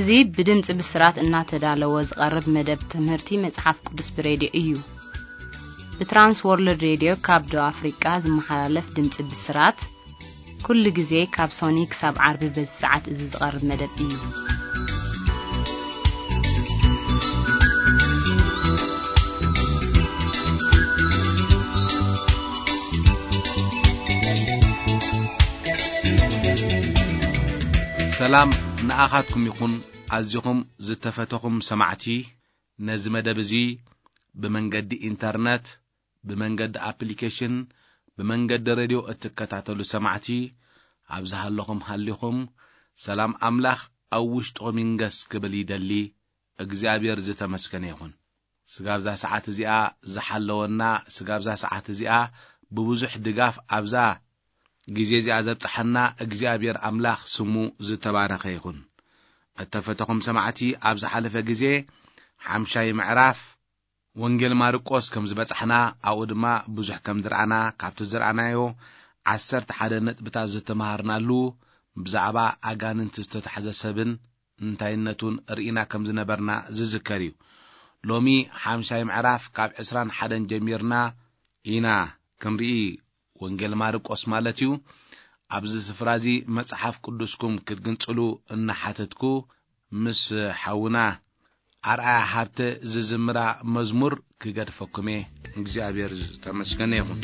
እዚ ብድምፂ ብስራት እናተዳለወ ዝቐርብ መደብ ትምህርቲ መፅሓፍ ቅዱስ ብሬድዮ እዩ። ብትራንስ ወርልድ ሬድዮ ካብ ደቡብ ኣፍሪቃ ዝመሓላለፍ ድምፂ ብስራት ኩሉ ግዜ ካብ ሶኒ ክሳብ ዓርቢ በዚ ሰዓት እዚ ዝቐርብ መደብ እዩ። ሰላም ንኣኻትኩም ይኹን። ኣዚኹም ዝተፈተኹም ሰማዕቲ፣ ነዚ መደብ እዚ ብመንገዲ ኢንተርነት፣ ብመንገዲ ኣፕሊኬሽን፣ ብመንገዲ ሬድዮ እትከታተሉ ሰማዕቲ፣ ኣብ ዝሃለኹም ሃሊኹም፣ ሰላም ኣምላኽ ኣብ ውሽጥኹም ይንገስ ክብል ይደሊ። እግዚኣብሔር ዝተመስገነ ይኹን። ስጋብዛ ሰዓት እዚኣ ዝሓለወና፣ ስጋብዛ ሰዓት እዚኣ ብብዙሕ ድጋፍ ኣብዛ ግዜ እዚኣ ዘብጽሓና እግዚኣብሔር ኣምላኽ ስሙ ዝተባረኸ ይኹን። እተፈተኹም ሰማዕቲ፣ ኣብ ዝሓለፈ ግዜ ሓምሻይ ምዕራፍ ወንጌል ማርቆስ ከም ዝበጻሕና፣ ኣብኡ ድማ ብዙሕ ከም ዝረኣና፣ ካብቲ ዝረኣናዮ ዓሰርተ ሓደ ነጥብታት ዝተመሃርናሉ፣ ብዛዕባ ኣጋንንቲ ዝተታሕዘ ሰብን እንታይነቱን ርኢና ከም ዝነበርና ዝዝከር እዩ። ሎሚ ሓምሻይ ምዕራፍ ካብ ዕስራን ሓደን ጀሚርና ኢና ክንርኢ፣ ወንጌል ማርቆስ ማለት እዩ። ኣብዚ ስፍራ እዚ መጽሓፍ ቅዱስኩም ክትግንጽሉ እናሓተትኩ፣ ምስ ሓውና ኣርኣያ ሃብተ ዝዝምራ መዝሙር ክገድፈኩም እየ። እግዚኣብሔር ዝተመስገነ ይኹን።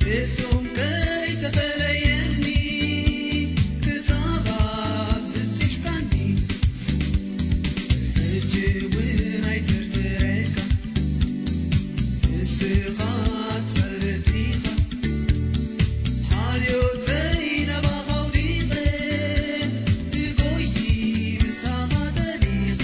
ፍጹም ከይተፈለየኒ ክሳብ ኣብ ዝጽሕካኒ፣ ሕጂ እውን ኣይትርትረካ፣ ንስኻ ትፈልጥ ኢኻ። ሓልዮተይ ናባኻ ኣውዲቐ፣ ክጎይ ምሳኻ ጠሊቐ።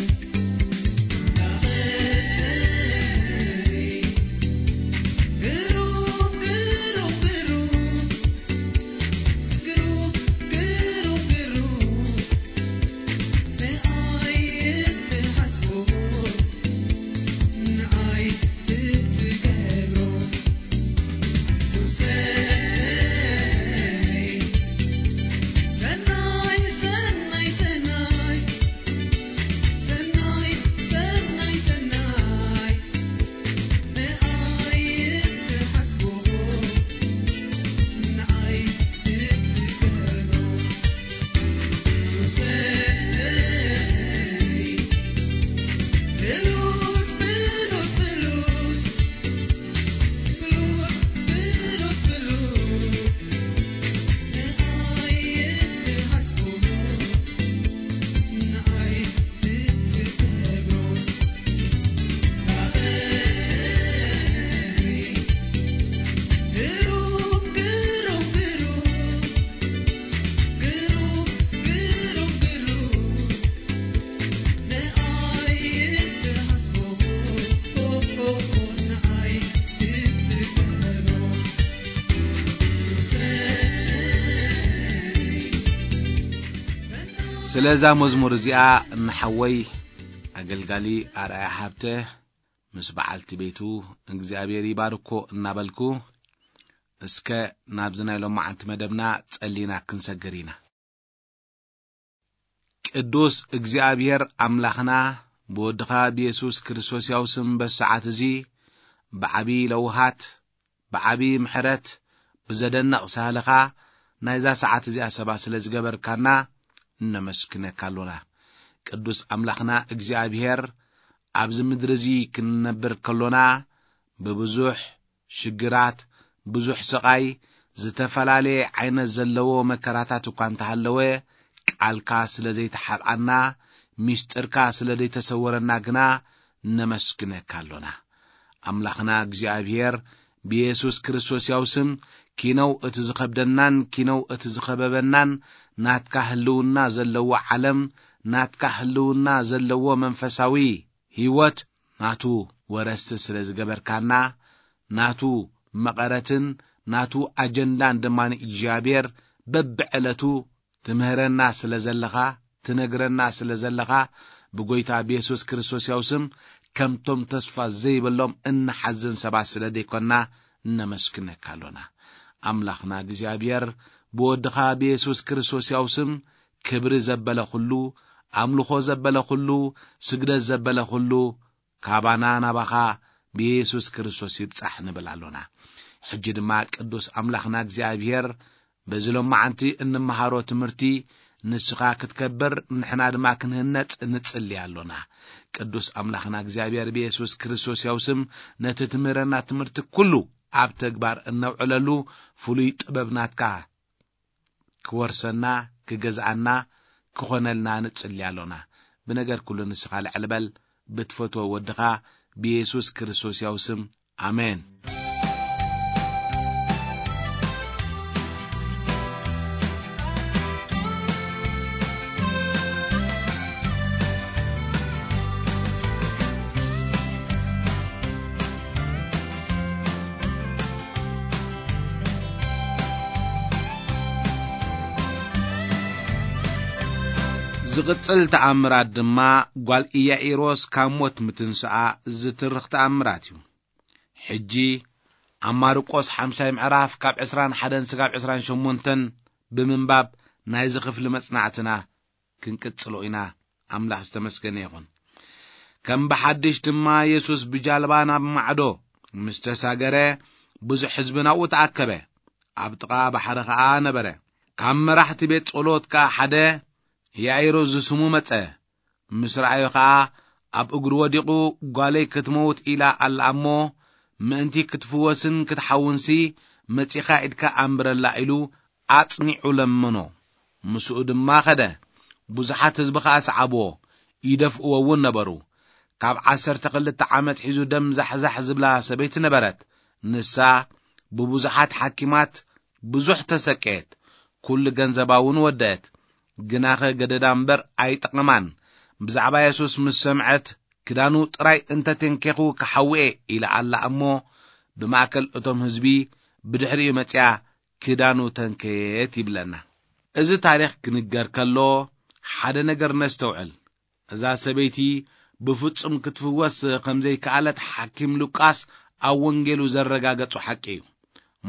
ስለዛ መዝሙር እዚኣ ንሓወይ ኣገልጋሊ ኣርኣያ ሃብተ ምስ በዓልቲ ቤቱ እግዚኣብሔር ይባርኮ እናበልኩ፣ እስከ ናብዚ ናይ ሎማዓንቲ መደብና ጸሊና ክንሰግር ኢና። ቅዱስ እግዚኣብሔር ኣምላኽና፣ ብወድኻ ብየሱስ ክርስቶስ ያው ስም በዚ ሰዓት እዚ ብዓቢ ለውሃት፣ ብዓቢ ምሕረት፣ ብዘደንቕ ሳህልኻ ናይዛ ሰዓት እዚኣ ሰባ ስለ ዝገበርካና እነመስግነካ ኣሎና። ቅዱስ ኣምላኽና እግዚኣብሔር፣ ኣብዚ ምድሪ እዚ ክንነብር ከሎና ብብዙሕ ሽግራት፣ ብዙሕ ስቓይ፣ ዝተፈላለየ ዓይነት ዘለዎ መከራታት እኳ እንተሃለወ፣ ቃልካ ስለ ዘይተሓብኣና፣ ሚስጥርካ ስለ ዘይተሰወረና ግና ነመስግነካ ኣሎና። ኣምላኽና እግዚኣብሔር፣ ብየሱስ ክርስቶስ ያው ስም፣ ኪነው እቲ ዝኸብደናን ኪነው እቲ ዝኸበበናን ናትካ ህልውና ዘለዎ ዓለም፣ ናትካ ህልውና ዘለዎ መንፈሳዊ ህይወት ናቱ ወረስቲ ስለ ዝገበርካና፣ ናቱ መቐረትን ናቱ ኣጀንዳን ድማ እግዚኣብሔር በብዕለቱ ትምህረና ስለ ዘለኻ፣ ትነግረና ስለ ዘለኻ፣ ብጎይታ ብየሱስ ክርስቶስ ያው ስም ከምቶም ተስፋ ዘይብሎም እንሓዝን ሰባት ስለ ዘይኮንና፣ እነመስግነካ ኣሎና። ኣምላኽና እግዚኣብሔር፣ ብወድኻ ብየሱስ ክርስቶስ ያው ስም ክብሪ ዘበለ ኩሉ፣ ኣምልኾ ዘበለ ኩሉ፣ ስግደት ዘበለ ኩሉ፣ ካባና ናባኻ ብየሱስ ክርስቶስ ይብጻሕ ንብል ኣሎና። ሕጂ ድማ ቅዱስ ኣምላኽና እግዚኣብሔር፣ በዚ ሎማዓንቲ እንመሃሮ ትምህርቲ ንስኻ ክትከብር፣ ንሕና ድማ ክንህነጽ ንጽሊ ኣሎና። ቅዱስ ኣምላኽና እግዚኣብሔር ብየሱስ ክርስቶስ ያው ስም ነቲ ትምህረና ትምህርቲ ኩሉ ኣብ ተግባር እነውዕለሉ ፍሉይ ጥበብ ናትካ ክወርሰና፣ ክገዝኣና፣ ክኾነልና ንጽሊ ኣሎና። ብነገር ኩሉ ንስኻ ልዕል በል፣ ብትፈትዎ ወድኻ ብየሱስ ክርስቶስ ያው ስም። ኣሜን። ዝቕጽል ተኣምራት ድማ ጓል ኢያኢሮስ ካብ ሞት ምትንስኣ ዝትርኽ ተኣምራት እዩ። ሕጂ ኣብ ማርቆስ ሓምሻይ ምዕራፍ ካብ ዕስራን ሓደን ስጋብ ዕስራን ሸሞንተን ብምንባብ ናይዚ ክፍሊ መጽናዕትና ክንቅጽሎ ኢና። ኣምላኽ ዝተመስገነ ይኹን። ከም ብሓድሽ ድማ የሱስ ብጃልባ ናብ ማዕዶ ምስ ተሳገረ፣ ብዙሕ ህዝቢ ናብኡ ተኣከበ። ኣብ ጥቓ ባሕሪ ኸኣ ነበረ። ካብ መራሕቲ ቤት ጸሎት ከኣ ሓደ ያኢሮስ ዝስሙ መጸ። ምስ ረኣዮ ኸኣ ኣብ እግሩ ወዲቑ፣ "ጓለይ ክትመውት ኢላ ኣላ እሞ፣ ምእንቲ ክትፍወስን ክትሓውንሲ መጺኻ ኢድካ ኣንብረላ ኢሉ ኣጽኒዑ ለመኖ። ምስኡ ድማ ኸደ። ብዙሓት ህዝቢ ኸኣ ሰዓብዎ፣ ይደፍእዎ እውን ነበሩ። ካብ ዓሰርተ ክልተ ዓመት ሒዙ ደም ዛሕዛሕ ዝብላ ሰበይቲ ነበረት። ንሳ ብብዙሓት ሓኪማት ብዙሕ ተሰቀየት፣ ኩሉ ገንዘባ እውን ወደአት። ግናኸ ገደዳ እምበር ኣይጠቐማን። ብዛዕባ የሱስ ምስ ሰምዐት፣ ክዳኑ ጥራይ እንተ ተንኬኹ ክሓውኤ ኢላ ኣላ እሞ፣ ብማእከል እቶም ህዝቢ ብድሕሪኡ መጺኣ ክዳኑ ተንከየት ይብለና። እዚ ታሪኽ ክንገር ከሎ ሓደ ነገር ነስተውዕል። እዛ ሰበይቲ ብፍጹም ክትፍወስ ከም ዘይከኣለት ሓኪም ሉቃስ ኣብ ወንጌሉ ዘረጋገጾ ሓቂ እዩ።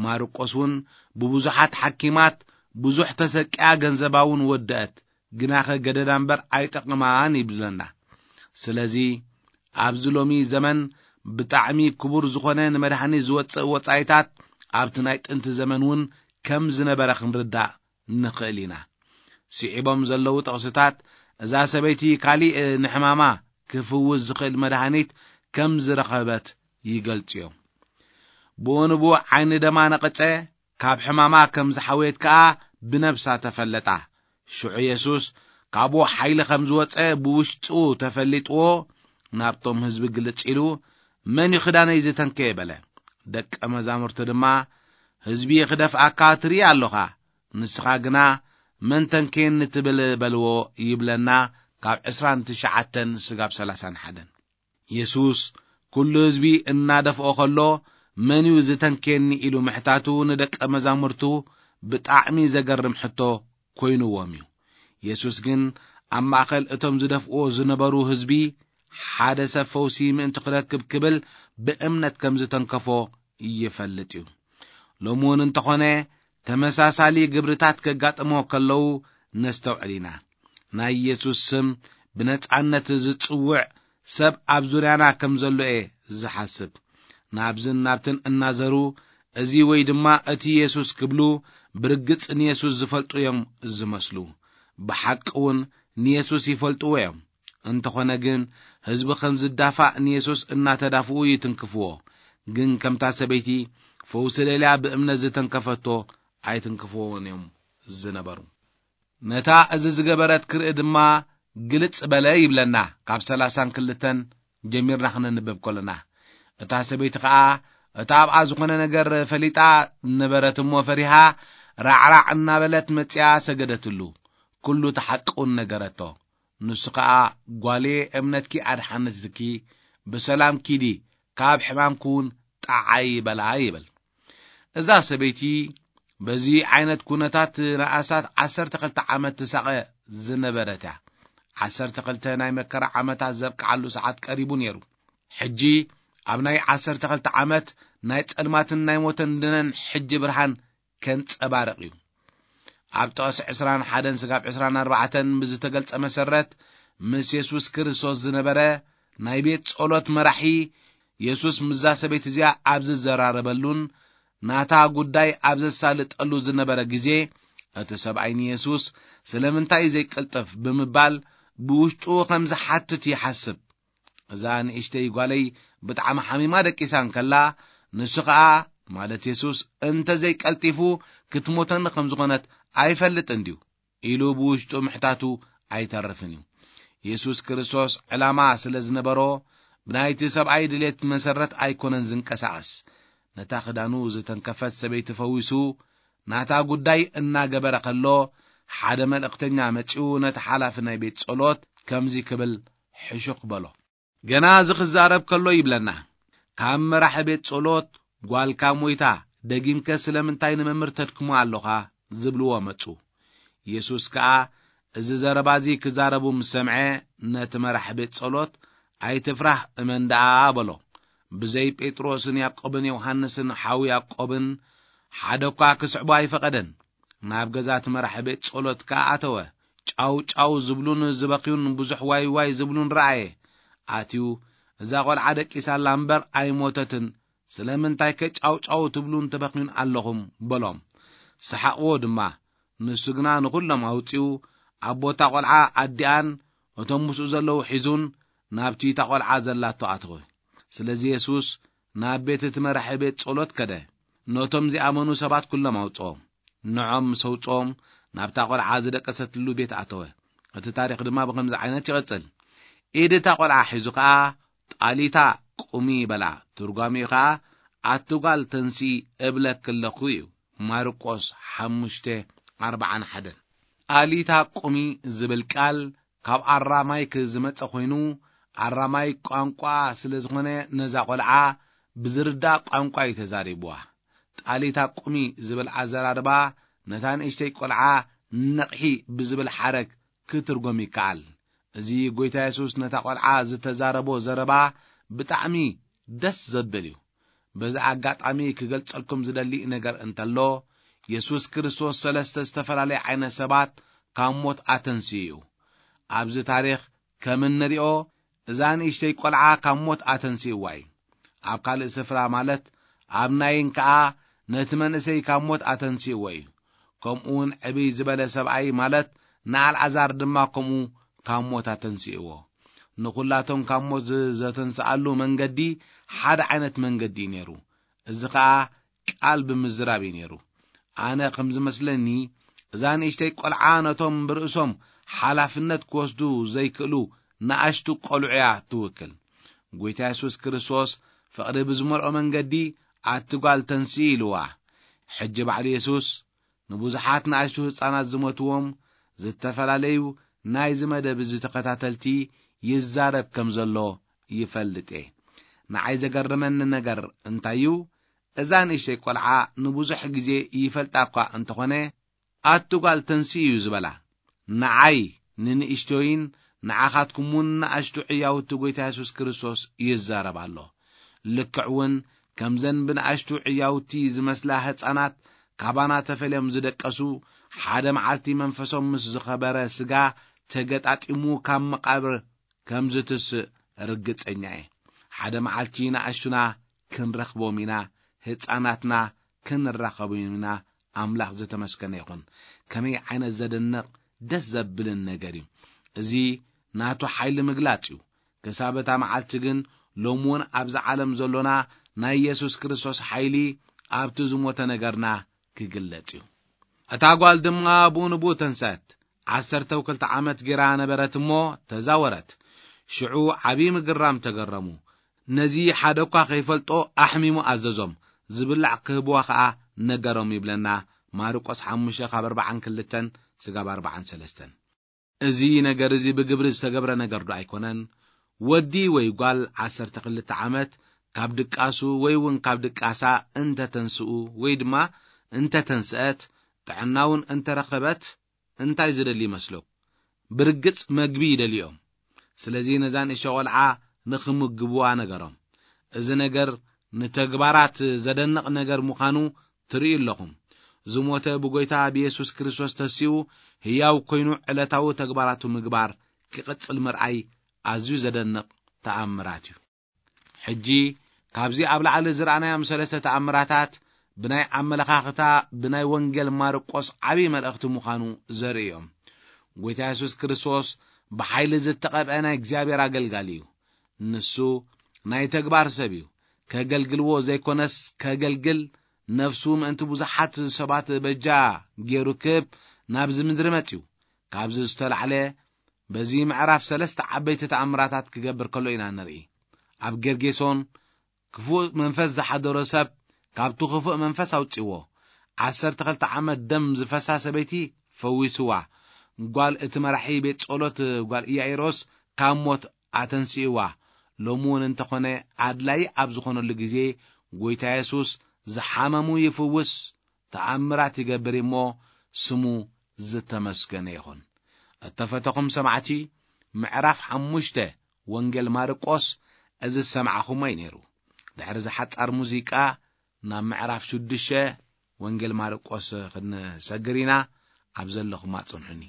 ማርቆስ እውን ብብዙሓት ሓኪማት ብዙሕ ተሰቂያ ገንዘባ እውን ወደአት፣ ግናኸ ገደዳ እምበር ኣይጠቕማን ይብለና። ስለዚ ኣብዚ ሎሚ ዘመን ብጣዕሚ ክቡር ዝኾነ ንመድሓኒት ዝወጽእ ወጻኢታት ኣብቲ ናይ ጥንቲ ዘመን እውን ከም ዝነበረ ክንርዳእ ንኽእል ኢና። ስዒቦም ዘለዉ ጥቕስታት እዛ ሰበይቲ ካሊእ ንሕማማ ክፍውስ ዝኽእል መድሃኒት ከም ዝረኸበት ይገልጹ እዮም። ብኡ ንብኡ ዓይኒ ደማ ነቐጸ፣ ካብ ሕማማ ከም ዝሓወየት ከኣ ብነብሳ ተፈለጣ። ሽዑ የሱስ ካብኡ ሓይሊ ከም ዝወጸ ብውሽጡ ተፈሊጥዎ ናብቶም ህዝቢ ግልጽ ኢሉ፣ "መን እዩ ክዳነይ ዝተንከየ?" በለ። ደቀ መዛሙርቱ ድማ፣ "ህዝቢ ክደፍኣካ ትርኢ ኣሎኻ፣ ንስኻ ግና መን ተንከየኒ ትብል?" በልዎ ይብለና ካብ ዕስራን ትሽዓተን ስጋብ ሰላሳን ሓደን። የሱስ ኩሉ ህዝቢ እናደፍኦ ከሎ፣ "መን እዩ ዝተንከየኒ?" ኢሉ ምሕታቱ ንደቀ መዛሙርቱ ብጣዕሚ ዘገርም ሕቶ ኮይንዎም እዩ። የሱስ ግን ኣብ ማእከል እቶም ዝደፍእዎ ዝነበሩ ህዝቢ፣ ሓደ ሰብ ፈውሲ ምእንቲ ክረክብ ክብል ብእምነት ከም ዝተንከፎ ይፈልጥ እዩ። ሎሚ እውን እንተኾነ ተመሳሳሊ ግብርታት ከጋጥሞ ከለዉ ነስተውዕል ኢና። ናይ የሱስ ስም ብነጻነት ዝጽውዕ ሰብ ኣብ ዙርያና ከም ዘሎ እየ ዝሓስብ። ናብዝን ናብትን እናዘሩ፣ "እዚ ወይ ድማ እቲ የሱስ" ክብሉ ብርግጽ ንየሱስ ዝፈልጡ እዮም ዝመስሉ። ብሓቂ እውን ንየሱስ ይፈልጥዎ እዮም። እንተኾነ ግን ህዝቢ ከም ዝዳፋእ ንየሱስ እናተዳፍኡ ይትንክፍዎ። ግን ከምታ ሰበይቲ ፈውሲ ደልያ ብእምነት ዝተንከፈቶ ኣይትንክፍዎን እዮም ዝነበሩ። ነታ እዚ ዝገበረት ክርኢ ድማ ግልጽ በለ ይብለና፣ ካብ ሰላሳን ክልተን ጀሚርና ክነንብብ ከለና። እታ ሰበይቲ ኸኣ እታ ኣብኣ ዝኾነ ነገር ፈሊጣ ነበረት እሞ ፈሪሃ ራዕራዕ እናበለት መጺኣ ሰገደትሉ። ኩሉ እቲ ሓቂ እውን ነገረቶ። ንሱ ኸኣ፣ "ጓልየ፣ እምነትኪ ኣድሓነትኪ፣ ብሰላም ኪዲ፣ ካብ ሕማምኪ እውን ጠዓዪ" በላ ይብል። እዛ ሰበይቲ በዚ ዓይነት ኩነታት ንኣስታት ዓሰርተ ክልተ ዓመት ትሳቐ ዝነበረት እያ። ዓሰርተ ክልተ ናይ መከራ ዓመታት ዘብቅዓሉ ሰዓት ቀሪቡ ነይሩ። ሕጂ ኣብ ናይ ዓሰርተ ክልተ ዓመት ናይ ጸልማትን ናይ ሞትን ድነን ሕጂ ብርሃን ከንጸባርቕ እዩ። ኣብ ጥቕሲ ዕስራን ሓደን ስጋብ ዕስራን ኣርባዕተን ብዝተገልጸ መሰረት፣ ምስ የሱስ ክርስቶስ ዝነበረ ናይ ቤት ጸሎት መራሒ፣ የሱስ ምስዛ ሰበይቲ እዚኣ ኣብ ዝዘራረበሉን ናታ ጉዳይ ኣብ ዘሳልጠሉ ዝነበረ ግዜ፣ እቲ ሰብኣይ ንየሱስ፣ "ስለምንታይ ዘይቅልጥፍ?" ብምባል ብውሽጡ ከም ዝሓትት ይሓስብ። "እዛ ንእሽተይ ጓለይ ብጣዕሚ ሓሚማ ደቂሳ እንከላ፣ ንሱ ኸኣ፣ ማለት የሱስ፣ እንተ ዘይቀልጢፉ ክትሞተኒ ከም ዝኾነት ኣይፈልጥን ድዩ?" ኢሉ ብውሽጡ ምሕታቱ ኣይተርፍን እዩ። የሱስ ክርስቶስ ዕላማ ስለ ዝነበሮ፣ ብናይቲ ሰብኣይ ድሌት መሰረት ኣይኮነን ዝንቀሳቐስ። ነታ ክዳኑ ዝተንከፈት ሰበይቲ ፈዊሱ፣ ናታ ጉዳይ እናገበረ ከሎ፣ ሓደ መልእኽተኛ መጺኡ ነቲ ሓላፊ ናይ ቤት ጸሎት ከምዚ ክብል ሕሹኽ በሎ። ገና እዚ ክዛረብ ከሎ ይብለና፣ "ካብ መራሒ ቤት ጸሎት ጓልካ ሞይታ፣ ደጊምከ ስለምንታይ ንመምህር ተድክሞ ኣሎኻ?" ዝብልዎ መጹ። የሱስ ከኣ እዚ ዘረባ እዚ ክዛረቡ ምስ ሰምዐ፣ ነቲ መራሒ ቤት ጸሎት፣ "ኣይትፍራህ፣ እመን ደኣ" በሎ። ብዘይ ጴጥሮስን ያዕቆብን ዮሃንስን ሓው ያዕቆብን ሓደ እኳ ክስዕቦ ኣይፈቐደን። ናብ ገዛ እቲ መራሒ ቤት ጸሎት ከኣ ኣተወ። ጫው ጫው ዝብሉን ዝበኽዩን ብዙሕ ዋይ ዋይ ዝብሉን ረኣየ። ኣትዩ፣ "እዛ ቈልዓ ደቂሳ ኣላ እምበር ኣይሞተትን፣ ስለምንታይከ ጫው ጫው ትብሉን ትበኽዩን ኣለኹም?" በሎም። ሰሓቕዎ ድማ። ንሱ ግና ንኹሎም ኣውጺኡ፣ ኣብ ቦታ ቈልዓ ኣዲኣን እቶም ምስኡ ዘለዉ ሒዙን ናብቲ እታ ቈልዓ ዘላቶ ኣተወ። ስለዚ የሱስ ናብ ቤት እቲ መራሒ ቤት ጸሎት ከደ። ነቶም ዚኣመኑ ሰባት ኩሎም ኣውጽኦም። ንዖም ምስ ኣውጽኦም፣ ናብታ ቈልዓ ዝደቀሰትሉ ቤት ኣተወ። እቲ ታሪኽ ድማ ብኸምዚ ዓይነት ይቕጽል። ኢድ እታ ቈልዓ ሒዙ ኸኣ፣ "ጣሊታ ቁሚ" በላ። ትርጓሜኡ ኸኣ፣ "ኣቲ ጓል ተንስኢ እብለኪ ኣለኹ" እዩ። ማርቆስ ሓሙሽተ ኣርብዓን ሓደን። ጣሊታ ቁሚ ዝብል ቃል ካብ ኣራማይክ ዝመጸ ኮይኑ፣ ኣራማይክ ቋንቋ ስለ ዝኾነ፣ ነዛ ቈልዓ ብዝርዳእ ቋንቋ እዩ ተዛሪብዋ። ጣሊታ ቁሚ ዝብል ኣዘራርባ፣ ነታ ንእሽተይ ቈልዓ ንቕሒ ብዝብል ሓረግ ክትርጎም ይከኣል። እዚ ጐይታ የሱስ ነታ ቈልዓ ዝተዛረቦ ዘረባ ብጣዕሚ ደስ ዘብል እዩ። በዚ ኣጋጣሚ ክገልጸልኩም ዝደሊ ነገር እንተሎ፣ የሱስ ክርስቶስ ሰለስተ ዝተፈላለየ ዓይነት ሰባት ካብ ሞት ኣተንስኡ እዩ። ኣብዚ ታሪኽ ከም እንሪኦ፣ እዛ ንእሽተይ ቈልዓ ካብ ሞት ኣተንስእዋ እዩ። ኣብ ካልእ ስፍራ፣ ማለት ኣብ ናይን ከኣ፣ ነቲ መንእሰይ ካብ ሞት ኣተንስእዎ እዩ። ከምኡውን ዕብይ ዝበለ ሰብኣይ፣ ማለት ንኣልዓዛር ድማ ከምኡ ካብ ሞት ኣተንስእዎ። ንኹላቶም ካብ ሞት ዝ-፣ ዘተንስኣሉ መንገዲ ሓደ ዓይነት መንገዲ እዩ ነይሩ። እዚ ኸኣ ቃል ብምዝራብ እዩ ነይሩ። ኣነ ከም ዝመስለኒ፣ እዛ ንእሽተይ ቈልዓ ነቶም ብርእሶም ሓላፍነት ክወስዱ ዘይክእሉ ንኣሽቱ ቈልዑ እያ ትውክል። ጐይታ የሱስ ክርስቶስ ፍቕሪ ብዝመልኦ መንገዲ፣ "ኣቲ ጓል ተንስኢ" ኢልዋ። ሕጂ ባዕሉ የሱስ ንብዙሓት ንኣሽቱ ህጻናት ዝሞትዎም፣ ዝተፈላለዩ ናይዚ መደብ እዚ ተኸታተልቲ ይዛረብ ከም ዘሎ ይፈልጥ እየ። ንዓይ ዘገርመኒ ነገር እንታይ እዩ? እዛ ንእሽተይ ቈልዓ ንብዙሕ ግዜ ይፈልጣ እኳ እንተኾነ፣ "ኣቲ ጓል ተንስኢ" እዩ ዝበላ። ንዓይ፣ ንንእሽቶይን ንዓኻትኩም እውን ንኣሽቱ ዕያውቲ ጐይታ የሱስ ክርስቶስ ይዛረብ ኣሎ። ልክዕ እውን ከምዘን ብንኣሽቱ ዕያውቲ ዝመስላ ህጻናት ካባና ተፈልዮም ዝደቀሱ፣ ሓደ መዓልቲ መንፈሶም ምስ ዝኸበረ ስጋ ተገጣጢሙ ካብ መቓብር ከም ዝትስእ ርግጸኛ እየ። ሓደ መዓልቲ ንኣሽቱና ክንረኽቦም ኢና፣ ህጻናትና ክንራኸቦም ኢና። ኣምላኽ ዝተመስገነ ይኹን። ከመይ ዓይነት ዘደንቕ ደስ ዘብልን ነገር እዩ። እዚ ናቱ ሓይሊ ምግላጽ እዩ። ክሳብ እታ መዓልቲ ግን፣ ሎሚ እውን ኣብዚ ዓለም ዘሎና ናይ የሱስ ክርስቶስ ሓይሊ ኣብቲ ዝሞተ ነገርና ክግለጽ እዩ። እታ ጓል ድማ ብኡ ንብኡ ተንስአት። ዓሰርተ ክልተ ዓመት ጌራ ነበረት እሞ ተዛወረት። ሽዑ ዓቢ ምግራም ተገረሙ። ነዚ ሓደ እኳ ከይፈልጦ ኣሕሚሙ ኣዘዞም። ዝብላዕ ክህብዋ ኸኣ ነገሮም ይብለና ማርቆስ ሓሙሽተ ካብ ኣርብዓን ክልተን ስጋብ ኣርብዓን ሰለስተን። እዚ ነገር እዚ ብግብሪ ዝተገብረ ነገር ዶ ኣይኮነን? ወዲ ወይ ጓል ዓሰርተ ክልተ ዓመት ካብ ድቃሱ ወይ እውን ካብ ድቃሳ እንተተንስኡ ወይ ድማ እንተተንስአት፣ ጥዕና እውን እንተረኸበት፣ እንታይ ዝደሊ ይመስለኩም? ብርግጽ መግቢ ይደልዮም። ስለዚ ነዛ ንእሽቶ ቖልዓ ንኽምግብዋ ነገሮም። እዚ ነገር ንተግባራት ዘደንቕ ነገር ምዃኑ ትርእዩ ኣለኹም። ዝሞተ ብጎይታ ብየሱስ ክርስቶስ ተሲኡ ህያው ኮይኑ ዕለታዊ ተግባራቱ ምግባር ክቕጽል ምርኣይ ኣዝዩ ዘደንቕ ተኣምራት እዩ። ሕጂ ካብዚ ኣብ ላዕሊ ዝረኣናዮም ሰለስተ ተኣምራታት ብናይ ኣመለኻኽታ ብናይ ወንጌል ማርቆስ ዓብዪ መልእኽቲ ምዃኑ ዘርኢ እዮም። ጎይታ የሱስ ክርስቶስ ብሓይሊ ዝተቐብአ ናይ እግዚኣብሔር ኣገልጋሊ እዩ። ንሱ ናይ ተግባር ሰብ እዩ። ከገልግልዎ ዘይኮነስ ከገልግል፣ ነፍሱ ምእንቲ ብዙሓት ሰባት በጃ ገይሩ ክብ ናብዚ ምድሪ መጽዩ። ካብዚ ዝተላዕለ በዚ ምዕራፍ ሰለስተ ዓበይቲ ተኣምራታት ክገብር ከሎ ኢና ንርኢ። ኣብ ጌርጌሶን ክፉእ መንፈስ ዝሓደሮ ሰብ ካብቲ ክፉእ መንፈስ ኣውጺዎ። ዓሰርተ ክልተ ዓመት ደም ዝፈሳ ሰበይቲ ፈዊስዋ። ጓል እቲ መራሒ ቤት ጸሎት ጓል ኢያኢሮስ ካብ ሞት ኣተንስእዋ። ሎሚ እውን እንተኾነ ኣድላይ ኣብ ዝኾነሉ ግዜ ጎይታ የሱስ ዝሓመሙ ይፍውስ፣ ተኣምራት ይገብር እሞ ስሙ ዝተመስገነ ይኹን። እተፈተኹም ሰማዕቲ፣ ምዕራፍ ሓሙሽተ ወንጌል ማርቆስ እዚ ዝሰማዕኹሞ እዩ ነይሩ። ድሕሪ እዚ ሓጻር ሙዚቃ ናብ ምዕራፍ ሽዱሽተ ወንጌል ማርቆስ ክንሰግር ኢና። ኣብ ዘለኹም ኣጽንሑኒ።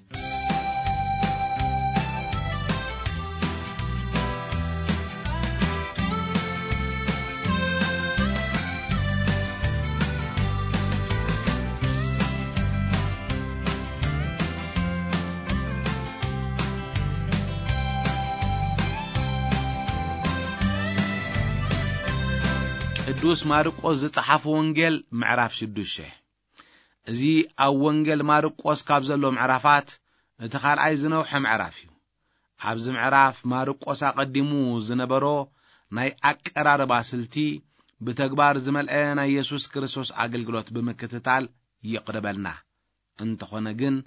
ቅዱስ ማርቆስ ዝጸሓፎ ወንጌል ምዕራፍ ሽዱሽተ። እዚ ኣብ ወንጌል ማርቆስ ካብ ዘሎ ምዕራፋት እቲ ካልኣይ ዝነውሐ ምዕራፍ እዩ። ኣብዚ ምዕራፍ ማርቆስ ኣቐዲሙ ዝነበሮ ናይ ኣቀራርባ ስልቲ ብተግባር ዝመልአ ናይ የሱስ ክርስቶስ ኣገልግሎት ብምክትታል ይቕርበልና። እንተኾነ ግን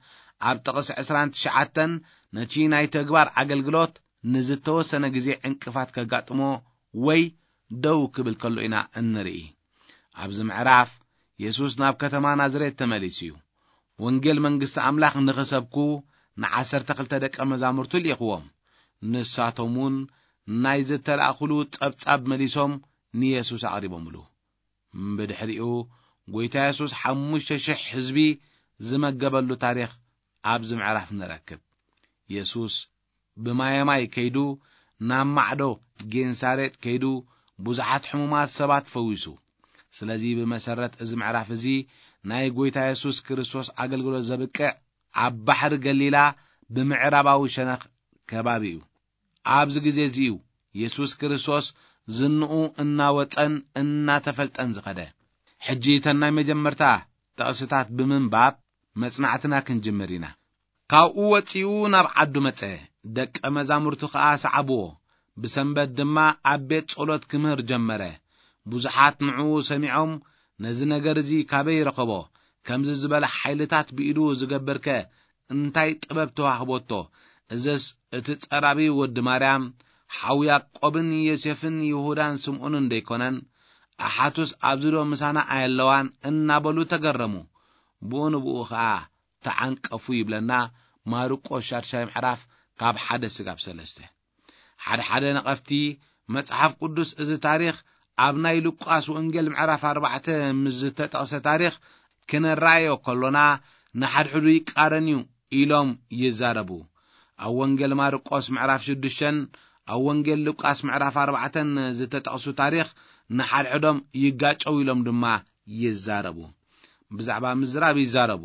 ኣብ ጥቕሲ ዕስራን ትሽዓተን ነቲ ናይ ተግባር ኣገልግሎት ንዝተወሰነ ግዜ ዕንቅፋት ከጋጥሞ ወይ ደው ክብል ከሎ ኢና እንርኢ። ኣብዚ ምዕራፍ የሱስ ናብ ከተማ ናዝሬት ተመሊሱ እዩ። ወንጌል መንግስቲ ኣምላኽ ንኽሰብኩ ንዓሰርተ ክልተ ደቀ መዛሙርቱ ልኢኽዎም። ንሳቶም እውን ናይ ዝተላእኹሉ ጸብጻብ መሊሶም ንየሱስ ኣቕሪቦምሉ። ብድሕሪኡ ጎይታ የሱስ ሓሙሽተ ሽሕ ህዝቢ ዝመገበሉ ታሪኽ ኣብዚ ምዕራፍ ንረክብ። የሱስ ብማየማይ ከይዱ ናብ ማዕዶ ጌንሳሬጥ ከይዱ ብዙሓት ሕሙማት ሰባት ፈዊሱ። ስለዚ ብመሰረት እዚ ምዕራፍ እዚ ናይ ጎይታ የሱስ ክርስቶስ ኣገልግሎት ዘብቅዕ ኣብ ባሕሪ ገሊላ ብምዕራባዊ ሸነኽ ከባቢ እዩ። ኣብዚ ግዜ እዚ እዩ የሱስ ክርስቶስ ዝንኡ እናወጸን እናተፈልጠን ዝኸደ። ሕጂ እተን ናይ መጀመርታ ጥቕስታት ብምንባብ መጽናዕትና ክንጅምር ኢና። ካብኡ ወጺኡ ናብ ዓዱ መጸ፣ ደቀ መዛሙርቱ ኸኣ ሰዓብዎ። ብሰንበት ድማ ኣብ ቤት ጸሎት ክምህር ጀመረ። ብዙሓት ንዕኡ ሰሚዖም፣ "ነዚ ነገር እዚ ካበይ ረኸቦ? ከምዚ ዝበለ ሓይልታት ብኢዱ ዝገብርከ እንታይ ጥበብ ተዋህቦቶ? እዝስ እቲ ጸራቢ ወዲ ማርያም፣ ሓው ያዕቆብን ዮሴፍን ይሁዳን ስምዖንን ደይኮነን? ኣሓቱስ ኣብዚ ዶ ምሳና ኣየለዋን?" እናበሉ ተገረሙ። ብኡ ንብኡ ኸኣ ተዓንቀፉ ይብለና ማርቆስ ሻድሻይ ምዕራፍ ካብ ሓደ ስጋብ ሰለስተ። ሓደ ሓደ ነቐፍቲ መጽሓፍ ቅዱስ እዚ ታሪኽ ኣብ ናይ ሉቃስ ወንጌል ምዕራፍ ኣርባዕተ ምስ ዝተጠቕሰ ታሪኽ ክነረኣዮ ከሎና ንሓድሕዱ ይቃረን እዩ ኢሎም ይዛረቡ። ኣብ ወንጌል ማርቆስ ምዕራፍ ሽዱሽተን ኣብ ወንጌል ሉቃስ ምዕራፍ ኣርባዕተን ዝተጠቕሱ ታሪኽ ንሓድሕዶም ይጋጨው ኢሎም ድማ ይዛረቡ። ብዛዕባ ምዝራብ ይዛረቡ።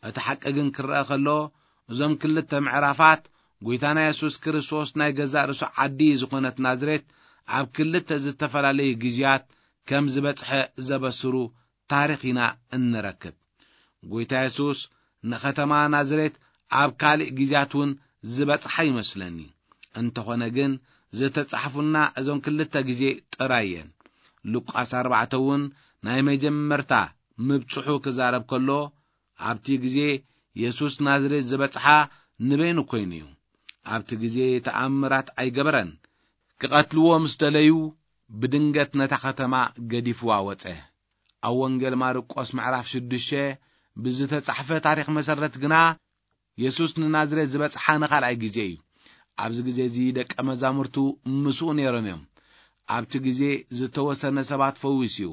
እቲ ሓቂ ግን ክረአ ከሎ፣ እዞም ክልተ ምዕራፋት ጎይታና የሱስ ክርስቶስ ናይ ገዛእ ርእሱ ዓዲ ዝኾነት ናዝሬት ኣብ ክልተ ዝተፈላለዩ ግዜያት ከም ዝበጽሐ ዘበስሩ ታሪኽ ኢና እንረክብ። ጎይታ የሱስ ንኸተማ ናዝሬት ኣብ ካልእ ግዜያት እውን ዝበጽሓ ይመስለኒ። እንተኾነ ግን ዝተጻሕፉና እዞም ክልተ ግዜ ጥራይ እየን። ሉቃስ ኣርባዕተ እውን ናይ መጀመርታ ምብጽሑ ክዛረብ ከሎ፣ ኣብቲ ግዜ የሱስ ናዝሬት ዝበጽሓ ንበይኑ ኮይኑ እዩ። ኣብቲ ግዜ ተኣምራት ኣይገበረን። ክቐትልዎ ምስ ደለዩ ብድንገት ነታ ከተማ ገዲፍዋ ወጸ። ኣብ ወንጌል ማርቆስ ምዕራፍ ሽዱሽተ ብዝተጻሕፈ ታሪኽ መሰረት ግና የሱስ ንናዝሬት ዝበጽሓ ንኻልኣይ ግዜ እዩ። ኣብዚ ግዜ እዚ ደቀ መዛሙርቱ ምስኡ ነይሮም እዮም። ኣብቲ ግዜ ዝተወሰነ ሰባት ፈዊሱ እዩ።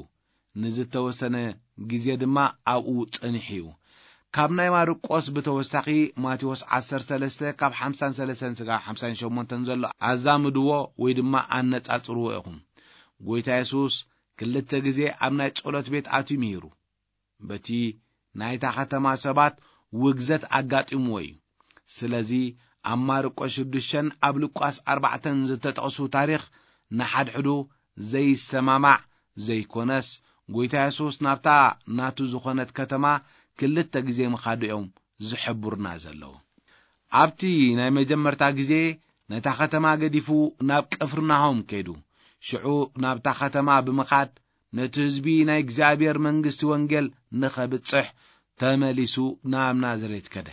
ንዝተወሰነ ግዜ ድማ ኣብኡ ጸኒሑ እዩ። ካብ ናይ ማርቆስ ብተወሳኺ ማቴዎስ ዓሰርተ ሰለስተ ካብ ሓምሳን ሰለስተን ስጋብ ሓምሳን ሸሞንተን ዘሎ ኣዛምድዎ ወይ ድማ ኣነጻጽርዎ ኢኹም። ጎይታ የሱስ ክልተ ግዜ ኣብ ናይ ጸሎት ቤት ኣትዩ ምሂሩ። በቲ ናይታ ከተማ ሰባት ውግዘት ኣጋጢምዎ እዩ። ስለዚ ኣብ ማርቆስ ሽዱሽተን ኣብ ሉቃስ ኣርባዕተን ዝተጠቕሱ ታሪኽ ንሓድሕዱ ዘይሰማማዕ ዘይኮነስ፣ ጎይታ የሱስ ናብታ ናቱ ዝኾነት ከተማ ክልተ ግዜ ምኻዱ እዮም ዝሕብሩና ዘለዉ። ኣብቲ ናይ መጀመርታ ግዜ ነታ ከተማ ገዲፉ ናብ ቅፍርናሆም ከይዱ። ሽዑ ናብታ ከተማ ብምኻድ ነቲ ህዝቢ ናይ እግዚኣብሔር መንግስቲ ወንጌል ንኸብጽሕ ተመሊሱ ናብ ናዝሬት ከደ።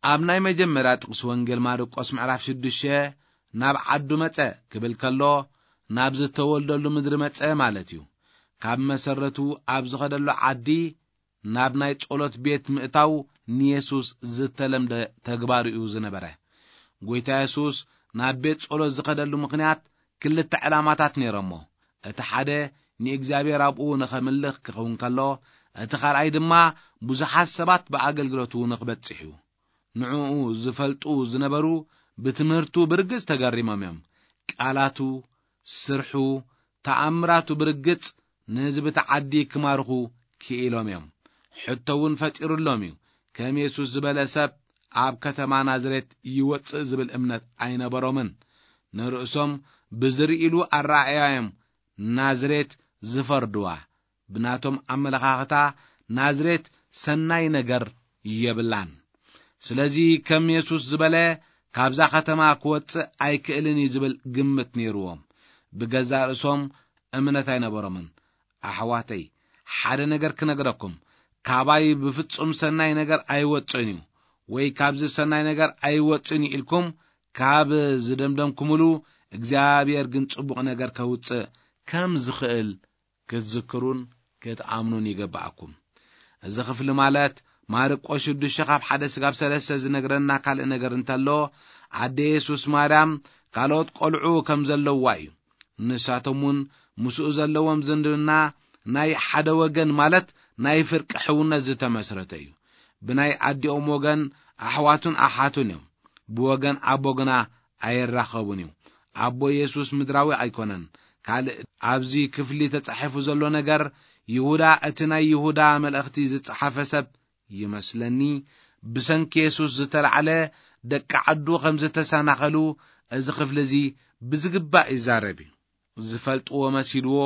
ኣብ ናይ መጀመርያ ጥቕሲ ወንጌል ማርቆስ ምዕራፍ ሽዱሽተ ናብ ዓዱ መጸ ክብል ከሎ፣ ናብ ዝተወልደሉ ምድሪ መጸ ማለት እዩ። ካብ መሰረቱ ኣብ ዝኸደሉ ዓዲ ናብ ናይ ጸሎት ቤት ምእታው ንየሱስ ዝተለምደ ተግባር እዩ ዝነበረ። ጎይታ የሱስ ናብ ቤት ጸሎት ዝኸደሉ ምኽንያት ክልተ ዕላማታት ነይሮሞ። እቲ ሓደ ንእግዚኣብሔር ኣብኡ ንኸምልኽ ክኸውን ከሎ፣ እቲ ካልኣይ ድማ ብዙሓት ሰባት ብኣገልግሎቱ ንኽበጽሕ እዩ። ንዕኡ ዝፈልጡ ዝነበሩ ብትምህርቱ ብርግጽ ተገሪሞም እዮም። ቃላቱ፣ ስርሑ፣ ተኣምራቱ ብርግጽ ንህዝቢ እቲ ዓዲ ክማርኹ ክኢሎም እዮም። ሕቶ እውን ፈጢሩሎም እዩ። ከም የሱስ ዝበለ ሰብ ኣብ ከተማ ናዝሬት ይወጽእ ዝብል እምነት ኣይነበሮምን። ንርእሶም ብዝርእይሉ ኣረኣእያ እዮም ናዝሬት ዝፈርድዋ። ብናቶም ኣመለኻኽታ ናዝሬት ሰናይ ነገር የብላን። ስለዚ ከም የሱስ ዝበለ ካብዛ ከተማ ክወጽእ ኣይክእልን እዩ ዝብል ግምት ነይርዎም። ብገዛእ ርእሶም እምነት ኣይነበሮምን። ኣሕዋተይ፣ ሓደ ነገር ክነግረኩም፣ ካባይ ብፍጹም ሰናይ ነገር ኣይወጽእን እዩ፣ ወይ ካብዚ ሰናይ ነገር ኣይወጽእን እዩ ኢልኩም ካብ ዝደምደምኩምሉ፣ እግዚኣብሔር ግን ጽቡቕ ነገር ከውጽእ ከም ዝኽእል ክትዝክሩን ክትኣምኑን ይግብኣኩም። እዚ ክፍሊ ማለት ማርቆስ ሽዱሽተ ካብ ሓደ ስጋብ ሰለስተ ዝነግረና ካልእ ነገር እንተሎ፣ ኣደ የሱስ ማርያም ካልኦት ቆልዑ ከም ዘለዋ እዩ። ንሳቶም እውን ምስኡ ዘለዎም ዝምድና ናይ ሓደ ወገን ማለት ናይ ፍርቂ ሕውነት ዝተመስረተ እዩ። ብናይ ኣዲኦም ወገን ኣሕዋቱን ኣሓቱን እዮም። ብወገን ኣቦ ግና ኣይራኸቡን እዩ። ኣቦ የሱስ ምድራዊ ኣይኮነን። ካልእ ኣብዚ ክፍሊ ተጻሒፉ ዘሎ ነገር፣ ይሁዳ፣ እቲ ናይ ይሁዳ መልእኽቲ ዝጸሓፈ ሰብ ይመስለኒ፣ ብሰንኪ የሱስ ዝተላዕለ ደቂ ዓዱ ከም ዝተሰናኸሉ እዚ ክፍሊ እዚ ብዝግባእ ይዛረብ እዩ። ዝፈልጥዎ መሲልዎ፣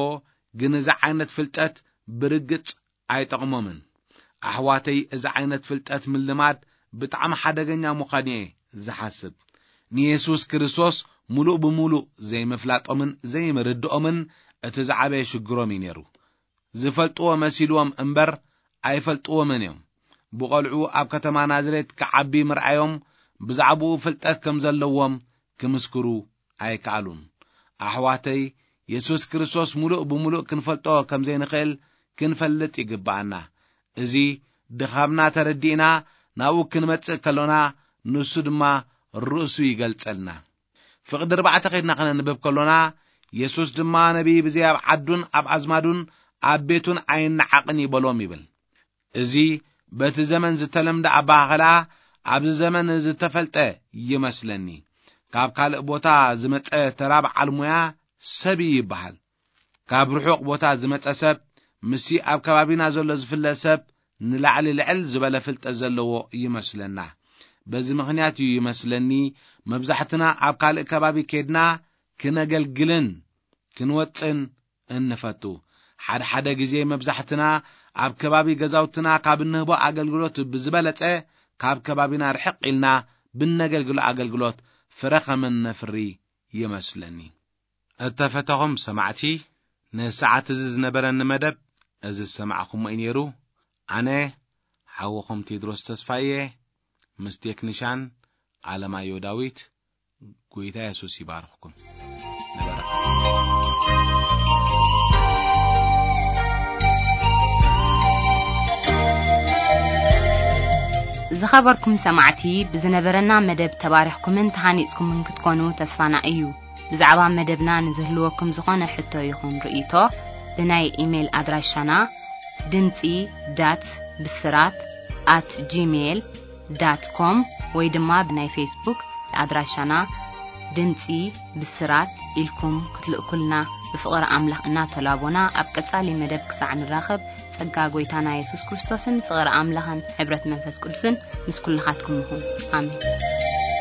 ግን እዚ ዓይነት ፍልጠት ብርግጽ ኣይጠቕሞምን። ኣሕዋተይ፣ እዚ ዓይነት ፍልጠት ምልማድ ብጣዕሚ ሓደገኛ ምዃኑ እየ ዝሓስብ። ንየሱስ ክርስቶስ ምሉእ ብምሉእ ዘይምፍላጦምን ዘይምርድኦምን እቲ ዝዓበየ ሽግሮም እዩ ነይሩ። ዝፈልጥዎ መሲልዎም እምበር ኣይፈልጥዎምን እዮም። ብቖልዑ ኣብ ከተማ ናዝሬት ክዓቢ ምርኣዮም ብዛዕባኡ ፍልጠት ከም ዘለዎም ክምስክሩ ኣይከኣሉን። ኣሕዋተይ፣ የሱስ ክርስቶስ ምሉእ ብምሉእ ክንፈልጦ ከም ዘይንኽእል ክንፈልጥ ይግብኣና። እዚ ድኻምና ተረዲእና ናብኡ ክንመጽእ ከሎና፣ ንሱ ድማ ርእሱ ይገልጸልና። ፍቕዲ ኣርባዕተ ከይድና ከነንብብ ከሎና፣ የሱስ ድማ ነቢይ ብዘይ ኣብ ዓዱን ኣብ ኣዝማዱን ኣብ ቤቱን ኣይነዓቕን ይበሎም ይብል። እዚ በቲ ዘመን ዝተለምደ ኣበሃህላ ኣብዚ ዘመን ዝተፈልጠ ይመስለኒ። ካብ ካልእ ቦታ ዝመጸ ተራ በዓል ሞያ ሰብ እዩ ይበሃል። ካብ ርሑቕ ቦታ ዝመጸ ሰብ ምስቲ ኣብ ከባቢና ዘሎ ዝፍለጥ ሰብ ንላዕሊ ልዕል ዝበለ ፍልጠት ዘለዎ ይመስለና። በዚ ምኽንያት እዩ ይመስለኒ መብዛሕትና ኣብ ካልእ ከባቢ ኬድና ክነገልግልን ክንወጽእን እንፈቱ። ሓደ ሓደ ግዜ መብዛሕትና ኣብ ከባቢ ገዛውትና ካብ እንህቦ ኣገልግሎት ብዝበለጸ ካብ ከባቢና ርሕቕ ኢልና ብነገልግሎ ኣገልግሎት ፍረ ከም እነፍሪ ይመስለኒ። እተፈተኹም ሰማዕቲ፣ ንሰዓት እዚ ዝነበረኒ መደብ እዚ ዝሰማዕኹሞ እዩ ነይሩ። ኣነ ሓውኹም ቴድሮስ ተስፋየ ምስ ቴክኒሻን ኣለማዮ ዳዊት፣ ጎይታ የሱስ ይባርኽኩም። ንበረኸት። ዝኸበርኩም ሰማዕቲ፣ ብዝነበረና መደብ ተባሪኽኩምን ተሃኒጽኩምን ክትኮኑ ተስፋና እዩ። ብዛዕባ መደብና ንዝህልወኩም ዝኾነ ሕቶ ይኹን ርእይቶ፣ ብናይ ኢሜይል ኣድራሻና ድምጺ ዳት ብስራት ኣት ጂሜይል ዳት ኮም ወይ ድማ ብናይ ፌስቡክ ኣድራሻና ድምጺ ብስራት ኢልኩም ክትልእኩልና ብፍቕሪ ኣምላኽ እናተላቦና፣ ኣብ ቀጻሊ መደብ ክሳዕ ንራኸብ፣ ጸጋ ጎይታና የሱስ ክርስቶስን ፍቕሪ ኣምላኽን ሕብረት መንፈስ ቅዱስን ምስ ኩልኻትኩም ይኹን። ኣሜን።